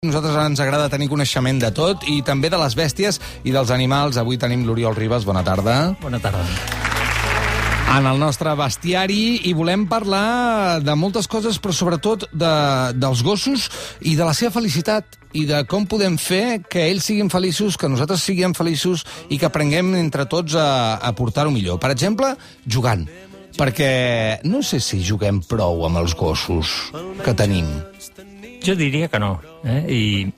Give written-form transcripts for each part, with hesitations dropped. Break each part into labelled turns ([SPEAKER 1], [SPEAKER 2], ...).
[SPEAKER 1] Nosaltres ens agrada tenir coneixement de tot i també de les bèsties i dels animals. Avui tenim l'Oriol Ribas. Bona tarda.
[SPEAKER 2] Bona tarda.
[SPEAKER 1] En el nostre bestiari i volem parlar de moltes coses, però sobretot dels gossos i de la seva felicitat i de com podem fer que ells siguin feliços, que nosaltres siguem feliços i que aprenguem entre tots a portar-ho millor. Per exemple, jugant. Perquè no sé si juguem prou amb els gossos que tenim.
[SPEAKER 2] Jo diria que no. I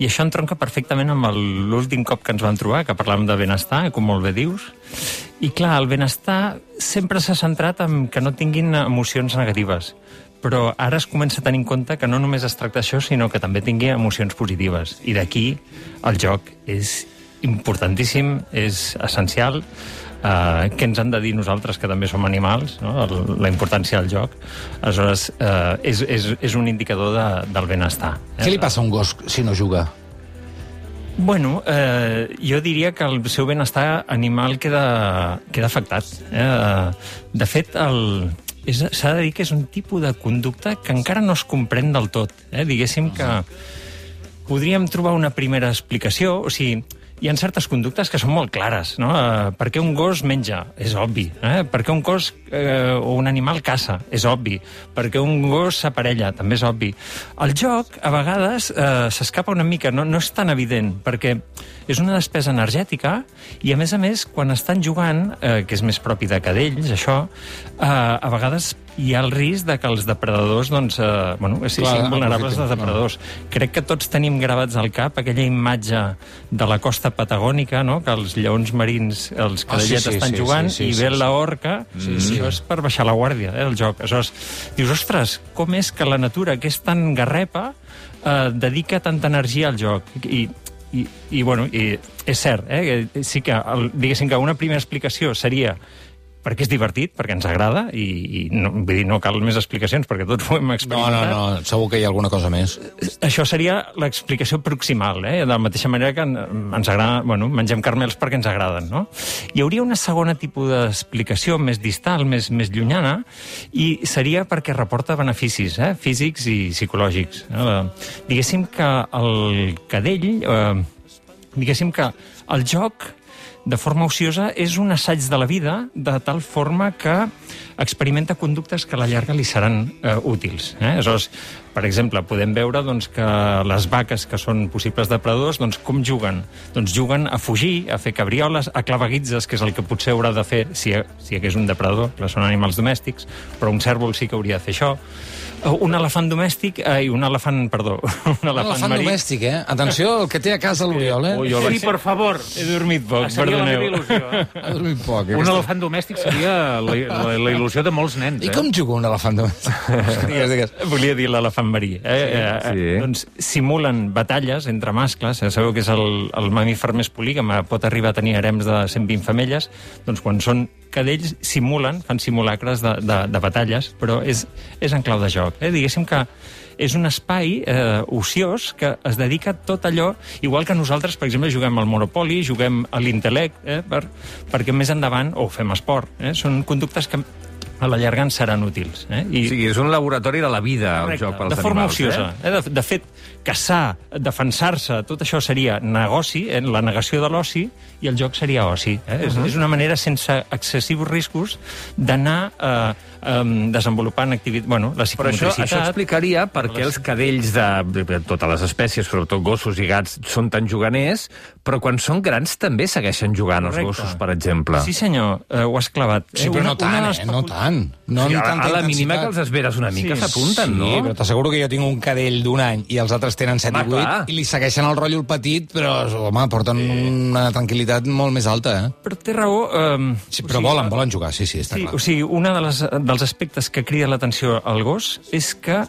[SPEAKER 2] això entronca perfectament amb l'últim cop que ens vam trobar, que parlàvem de benestar, com molt bé dius. I clar, el benestar sempre s'ha centrat en que no tinguin emocions negatives. Però ara es comença a tenir en compte que no només es tracta d'això, sinó que també tingui emocions positives. I d'aquí el joc és importantíssim, és essencial. Què ens han de dir nosaltres, que també som animals, no? La importància del joc. Aleshores, és un indicador del benestar.
[SPEAKER 1] Què li passa a un gos si no juga?
[SPEAKER 2] Bueno, jo diria que el seu benestar animal queda afectat. De fet, s'ha de dir que és un tipus de conducta que encara no es comprèn del tot. Diguéssim que podríem trobar una primera explicació, o sigui, hi ha certes conductes que són molt clares, no? Per què un gos menja? És obvi. Per què un gos o un animal caça? És obvi. Per què un gos s'aparella? També és obvi. El joc, a vegades, s'escapa una mica, no és tan evident, perquè és una despesa energètica i, a més, quan estan jugant, que és més propi de cadells, això, a vegades hi ha el risc de que els depredadors siguin vulnerables als depredadors. Crec que tots tenim gravats al cap aquella imatge de la costa patagònica, no? Que els lleons marins, els cadellets estan jugant i ve la orca, això és per baixar la guàrdia, el joc. Aleshores, dius, ostres, com és que la natura, que és tan garrepa, dedica tanta energia al joc? I és cert, sí que, diguéssim que una primera explicació seria perquè és divertit, perquè ens agrada, i no cal més explicacions, perquè tots ho hem experimentat.
[SPEAKER 1] No, segur que hi ha alguna cosa més.
[SPEAKER 2] Això seria l'explicació proximal, de la mateixa manera que ens agrada, mengem caramels perquè ens agraden, no? Hi hauria una segona tipus d'explicació més distal, més llunyana, i seria perquè reporta beneficis físics i psicològics. Diguéssim que el cadell, diguéssim que el joc de forma ociosa és un assaig de la vida, de tal forma que experimenta conductes que a la llarga li seran útils. Aleshores, per exemple, podem veure que les vaques que són possibles depredadors, com juguen? Doncs juguen a fugir, a fer cabrioles, a claveguitzes, que és el que potser haurà de fer si hagués un depredador, que són animals domèstics, però un cérvol sí que hauria de fer això. Un elefant domèstic, un elefant marí.
[SPEAKER 1] Domèstic, Atenció, el que té a casa l'Oriol,
[SPEAKER 3] Sí, per favor.
[SPEAKER 2] He dormit poc,
[SPEAKER 3] seria
[SPEAKER 2] perdoneu.
[SPEAKER 3] la meva il·lusió.
[SPEAKER 1] Ha dormit poc.
[SPEAKER 3] Un elefant domèstic seria la il·lusió de molts nens.
[SPEAKER 1] I com juga un elefant domèstic? Digues.
[SPEAKER 2] Volia dir l'elefant marí.
[SPEAKER 3] Sí.
[SPEAKER 2] Doncs simulen batalles entre mascles. Sabeu que és el mamífer més polígam, pot arribar a tenir harems de 120 femelles. Doncs quan són cadells fan simulacres de batalles, però és en clau de joc. Diguéssim que és un espai ociós que es dedica a tot allò, igual que nosaltres, per exemple, juguem al Monopoly, juguem a l'Intellect, perquè més endavant, o fem esport. Són conductes que a la llarga ens seran útils.
[SPEAKER 4] O sigui, és un laboratori de la vida, el joc pels animals.
[SPEAKER 2] De forma ociosa. De fet, caçar, defensar-se, tot això seria negoci, la negació de l'oci, i el joc seria oci. És una manera sense excessius riscos d'anar desenvolupant activitat, la psicomotricitat.
[SPEAKER 4] Però això explicaria per què els cadells de totes les espècies, sobretot gossos i gats, són tan juganers, però quan són grans també segueixen jugant els gossos, per exemple.
[SPEAKER 2] Sí, senyor, ho has clavat.
[SPEAKER 1] Sí, però no tant. No ni tanta
[SPEAKER 4] a la mínima que
[SPEAKER 1] intensitat.
[SPEAKER 4] els esperes una mica s'apunten, no?
[SPEAKER 1] Sí, però t'asseguro que jo tinc un cadell d'un any i els altres tenen 7 i 8 i li segueixen el rotllo el petit, però, home, porten una tranquil·litat molt més alta,
[SPEAKER 2] Però té raó...
[SPEAKER 1] Sí, però volen jugar, sí, està clar.
[SPEAKER 2] O sigui, un dels aspectes que crida l'atenció al gos és que...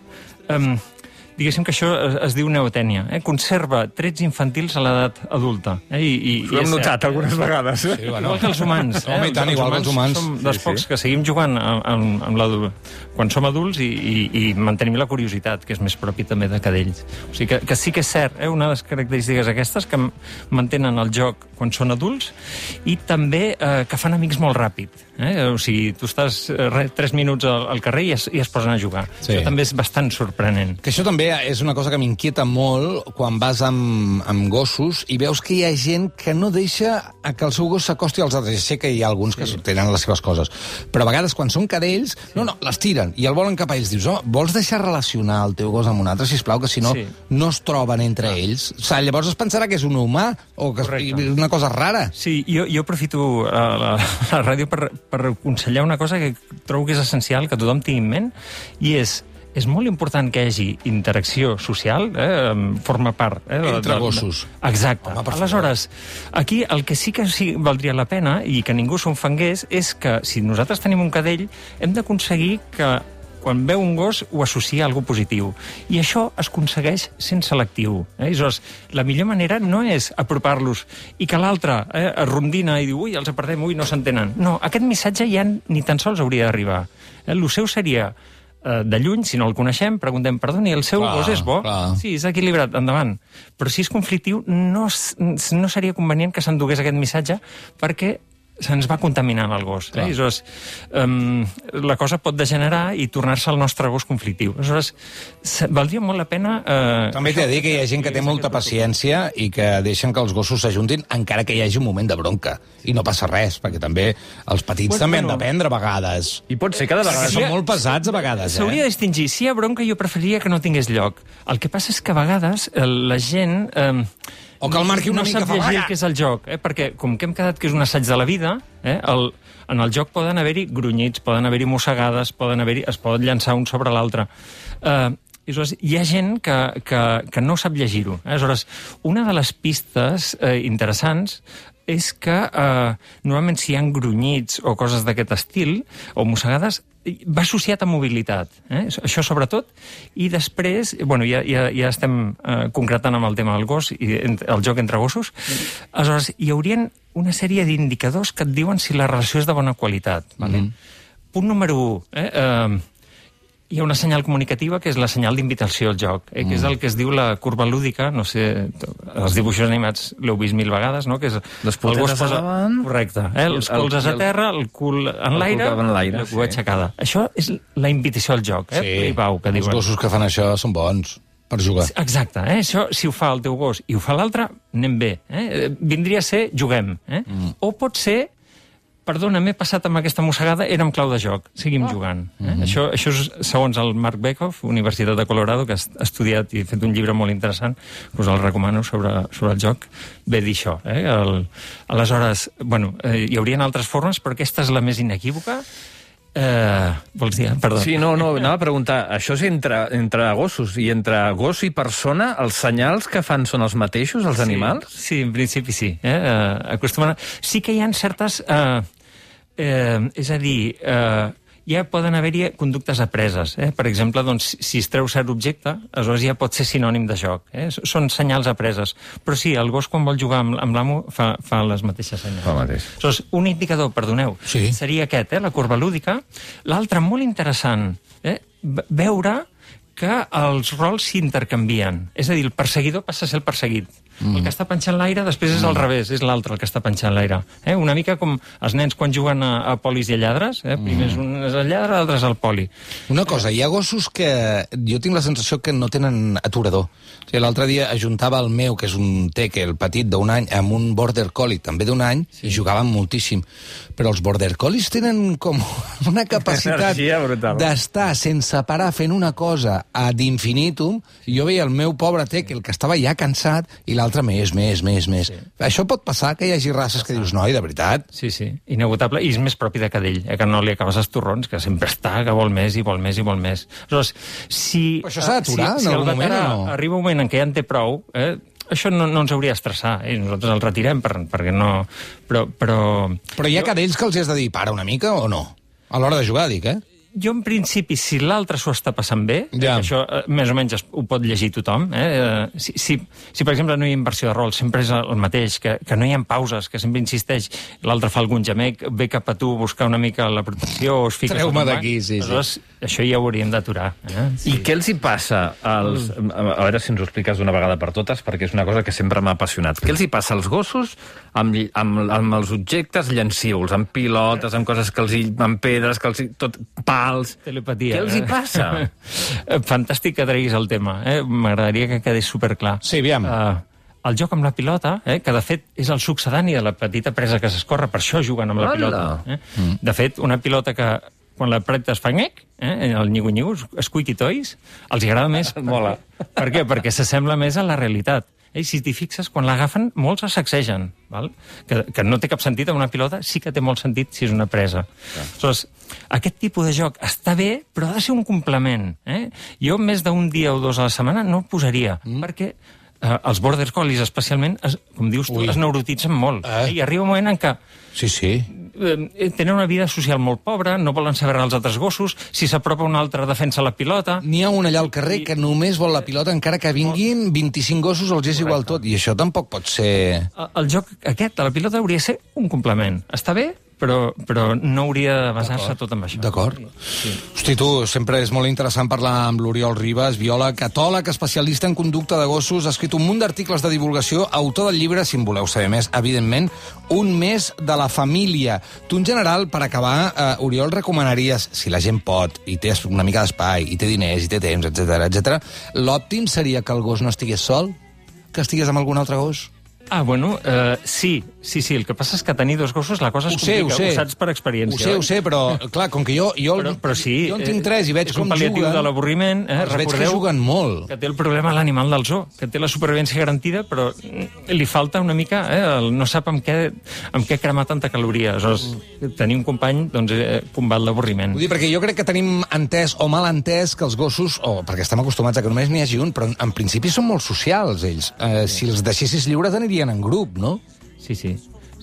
[SPEAKER 2] diguéssim que això es diu neotènia. Conserva trets infantils a l'edat adulta. Ho
[SPEAKER 4] hem notat algunes vegades.
[SPEAKER 1] Sí,
[SPEAKER 2] igual que els humans.
[SPEAKER 1] Home, i tant, igual que els humans.
[SPEAKER 2] Som dels pocs que seguim jugant quan som adults i mantenim la curiositat, que és més propi també de cadells. O sigui que sí que és cert, una de les característiques aquestes que mantenen el joc quan són adults i també que fan amics molt ràpid. O sigui, tu estàs 3 minuts al carrer i es posen a jugar.
[SPEAKER 1] Sí.
[SPEAKER 2] Això també és bastant sorprenent.
[SPEAKER 1] Que això també també és una cosa que m'inquieta molt quan vas amb gossos i veus que hi ha gent que no deixa que el seu gos s'acosti als altres. Sé que hi ha alguns que tenen les seves coses, però a vegades quan són cadells, no, les tiren i el volen cap a ells. Dius, vols deixar relacionar el teu gos amb un altre, sisplau, que si no, no es troben entre ells? O sigui, llavors es pensarà que és un humà o que és una cosa rara.
[SPEAKER 2] Sí, jo aprofito la ràdio per aconsellar una cosa que trobo que és essencial, que tothom tingui en ment, i és molt important que hi hagi interacció social, forma part...
[SPEAKER 1] Entre gossos.
[SPEAKER 2] Exacte. Aleshores, aquí el que sí que valdria la pena, i que ningú s'enfangués, és que si nosaltres tenim un cadell, hem d'aconseguir que quan veu un gos ho associa a alguna positiu. I això es aconsegueix sent selectiu. Aleshores, la millor manera no és apropar-los i que l'altre es rondina i diu, ui, els apartem, ui, no s'entenen. No, aquest missatge ja ni tan sols hauria d'arribar. El seu seria... de lluny, si no el coneixem, preguntem, perdoni, el seu gos és bo? Sí, és equilibrat, endavant. Però si és conflictiu, no seria convenient que s'endugués aquest missatge perquè se'ns va contaminant el gos. Aleshores, la cosa pot degenerar i tornar-se el nostre gos conflictiu. Aleshores, valdria molt la pena...
[SPEAKER 1] També t'he de dir que hi ha gent que té molta paciència i que deixen que els gossos s'ajuntin encara que hi hagi un moment de bronca. I no passa res, perquè també els petits també han d'aprendre a vegades.
[SPEAKER 4] I pot ser que de vegades
[SPEAKER 1] són molt pesats a vegades.
[SPEAKER 2] S'hauria de distingir. Si hi ha bronca, jo preferiria que no tingués lloc. El que passa és que a vegades la gent...
[SPEAKER 1] O que el marqui una mica
[SPEAKER 2] fa... No sap llegir el que és el joc, perquè com que hem quedat que és un assaig de la vida, en el joc poden haver-hi grunyits, poden haver-hi mossegades, es poden llançar un sobre l'altre. Aleshores, hi ha gent que no sap llegir-ho. Aleshores, una de les pistes interessants és que normalment si hi ha grunyits o coses d'aquest estil, o mossegades, va associat a mobilitat, això sobretot, i després, bueno, ja estem concretant amb el tema del gos i el joc entre gossos, aleshores hi haurien una sèrie d'indicadors que et diuen si la relació és de bona qualitat. Punt número 1, hi ha una senyal comunicativa que és la senyal d'invitació al joc, que és el que es diu la curva lúdica, no sé, els dibuixos animats l'heu vist 1000 vegades, no? Que és
[SPEAKER 4] les puntetes a davant...
[SPEAKER 2] Correcte, els colzes a terra, el cul en l'aire, la cua aixecada. Això és la invitació al joc, Pau, que diuen.
[SPEAKER 1] Els gossos que fan això són bons per jugar.
[SPEAKER 2] Exacte, això, si ho fa el teu gos i ho fa l'altre, anem bé. Vindria a ser juguem. O pot ser perdona, m'he passat amb aquesta mossegada, era amb clau de joc, seguim jugant. Això és segons el Mark Bekoff, Universitat de Colorado, que ha estudiat i ha fet un llibre molt interessant, us el recomano, sobre el joc, ve dir això. Aleshores, bueno, hi haurien altres formes, però aquesta és la més inequívoca. Vols dir? Perdó.
[SPEAKER 4] Sí, no, anava a preguntar, això és entre gossos, i entre gos i persona, els senyals que fan són els mateixos, els animals?
[SPEAKER 2] Sí, en principi sí. Acostumen... Sí que hi ha certes... és a dir, ja poden haver-hi conductes apreses. Per exemple, doncs, si es treu cert objecte, aleshores ja pot ser sinònim de joc. Són senyals apreses. Però sí, el gos quan vol jugar amb l'amo fa les mateixes senyals.
[SPEAKER 4] Fa mateix.
[SPEAKER 2] Aleshores, un indicador, perdoneu, seria aquest, la corba lúdica. L'altre, molt interessant, veure que els rols s'intercanvien. És a dir, el perseguidor passa a ser el perseguit. El que està penjant l'aire, després és al revés, és l'altre el que està penjant l'aire. Una mica com els nens quan juguen a polis i a lladres, primer és un és el lladre, l'altre és el poli.
[SPEAKER 1] Una cosa, hi ha gossos que jo tinc la sensació que no tenen aturador. O sigui, l'altre dia ajuntava el meu, que és un teque, el petit d'un any, amb un border collie, també d'un any, i jugaven moltíssim. Però els border collies tenen com una capacitat d'estar sense parar fent una cosa ad infinitum. Jo veia el meu pobre teque, el que estava ja cansat, i l'altre més. Sí. Això pot passar, que hi hagi races que dius, noi, de veritat?
[SPEAKER 2] Sí, inagotable, i és més propi de cadell, que no li acabes els torrons, que sempre està, que vol més i vol més i vol més. Aleshores,
[SPEAKER 1] però això s'ha d'aturar en algun moment o no?
[SPEAKER 2] Arriba un moment en què ja en té prou, això no ens hauria d'estressar, nosaltres el retirem perquè no...
[SPEAKER 1] Però hi ha cadells que els has de dir, para una mica o no? A l'hora de jugar, dic,
[SPEAKER 2] Jo, en principi, si l'altre s'ho està passant bé, això més o menys ho pot llegir tothom, si per exemple, no hi ha inversió de rol, sempre és el mateix, que no hi ha pauses, que sempre insisteix, l'altre fa algun gemec, ve cap a tu a buscar una mica la protecció, o es fica...
[SPEAKER 1] Treu-me d'aquí, sí.
[SPEAKER 2] Aleshores, això ja ho hauríem d'aturar.
[SPEAKER 4] I què els hi passa als... A veure si ens ho expliques d'una vegada per totes, perquè és una cosa que sempre m'ha apassionat. Què els hi passa als gossos amb els objectes llancívols, amb pilotes, amb coses que amb pedres, que els hi... tot telepàtics.
[SPEAKER 2] Telepatia.
[SPEAKER 4] Què els hi passa?
[SPEAKER 2] Fantàstic que treguis el tema. M'agradaria que quedés superclar.
[SPEAKER 1] Sí, aviam.
[SPEAKER 2] El joc amb la pilota, que de fet és el succedani de la petita presa que s'escorre, per això juguen amb la pilota. De fet, una pilota que quan la pretes fa nyec, el nyigo-nyigo, squeaky toys, els hi agrada més.
[SPEAKER 4] Mola.
[SPEAKER 2] Per què? Perquè s'assembla més a la realitat. Si t'hi fixes, quan l'agafen, molts se sacsegen. Val? Que no té cap sentit amb una pilota, sí que té molt sentit si és una presa. Aleshores, aquest tipus de joc està bé, però ha de ser un complement. Jo més d'un dia o dos a la setmana no ho posaria, perquè els border collies, especialment, com dius tu, es neurotitzen molt. I arriba un moment en què tenen una vida social molt pobra, no volen saber els altres gossos, si s'apropa un altre defensa la pilota...
[SPEAKER 1] N'hi ha un allà al carrer que només vol la pilota, encara que vinguin 25 gossos, els és igual tot, i això tampoc pot ser...
[SPEAKER 2] El joc aquest, de la pilota, hauria de ser un complement. Està bé, però no hauria de basar-se tot amb això.
[SPEAKER 1] D'acord. Sí. Hosti, tu, sempre és molt interessant parlar amb l'Oriol Ribas, biòleg, etòleg, especialista en conducta de gossos, ha escrit un munt d'articles de divulgació, autor del llibre, si en voleu saber més, evidentment, Un mes de la família. Tu, en general, per acabar, Oriol, recomanaries, si la gent pot, i té una mica d'espai, i té diners, i té temps, etc, l'òptim seria que el gos no estigués sol? Que estigués amb algun altre gos?
[SPEAKER 2] Bueno, sí. El que passa és que tenir dos gossos la cosa es complica. Ho saps per experiència.
[SPEAKER 1] Ho sé, però, clar, com que jo en tinc tres i veig com juguen... És un
[SPEAKER 2] pal·liatiu de l'avorriment.
[SPEAKER 1] Veig que juguen molt.
[SPEAKER 2] Que té el problema l'animal del zoo, que té la supervivència garantida, però li falta una mica... no sap amb què cremar tanta caloria. Aleshores, tenir un company, doncs, combat l'avorriment.
[SPEAKER 1] Vull dir, perquè jo crec que tenim entès o mal entès que els gossos, perquè estem acostumats a que només n'hi hagi un, però en principi són molt socials, ells. Si els deixessis lliures anirien en grup, no?
[SPEAKER 2] Sí. O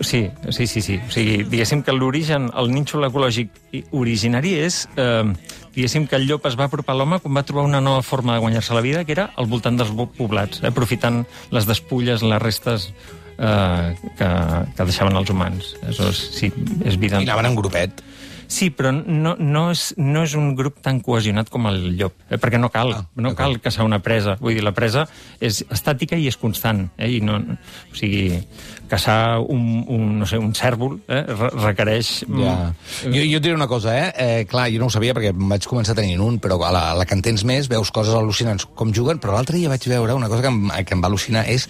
[SPEAKER 2] sigui, diguéssim que l'origen, el nínxol ecològic originari és, diguéssim que el llop es va apropar a l'home quan va trobar una nova forma de guanyar-se la vida, que era al voltant dels poblats, aprofitant les despulles, les restes que deixaven els humans. Aleshores, sí, és vida...
[SPEAKER 1] I anaven en grupet.
[SPEAKER 2] Sí, però no és un grup tan cohesionat com el llop, perquè no cal caçar una presa. Vull dir, la presa és estàtica i és constant. O sigui, caçar un cèrvol requereix...
[SPEAKER 1] Ja. Jo et diré una cosa, clar, jo no ho sabia perquè em vaig començar tenint un, però a la que en tens més veus coses al·lucinants com juguen, però l'altre dia vaig veure una cosa que em va al·lucinar, és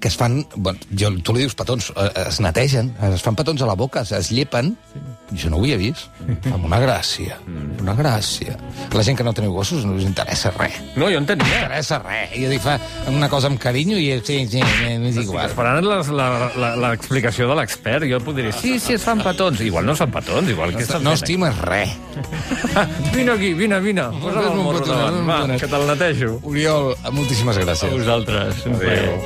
[SPEAKER 1] que es fan... tu li dius petons, es netegen, es fan petons a la boca, es llepen, i jo no ho havia vist. Amb una gràcia, una gràcia. La gent que no teniu gossos no us interessa res.
[SPEAKER 4] No, jo en tenia.
[SPEAKER 1] No interessa res. Jo dic, fa una cosa amb carinyo i sí, és igual.
[SPEAKER 4] Esperant l'explicació de l'expert, jo podria dir, sí, es fan petons. Igual no es fan petons, igual que
[SPEAKER 1] no estimes res.
[SPEAKER 4] Vine aquí, vine. Posa'm el morro davant, va, que te'l netejo.
[SPEAKER 1] Oriol, moltíssimes gràcies.
[SPEAKER 2] A vosaltres.
[SPEAKER 4] Adéu.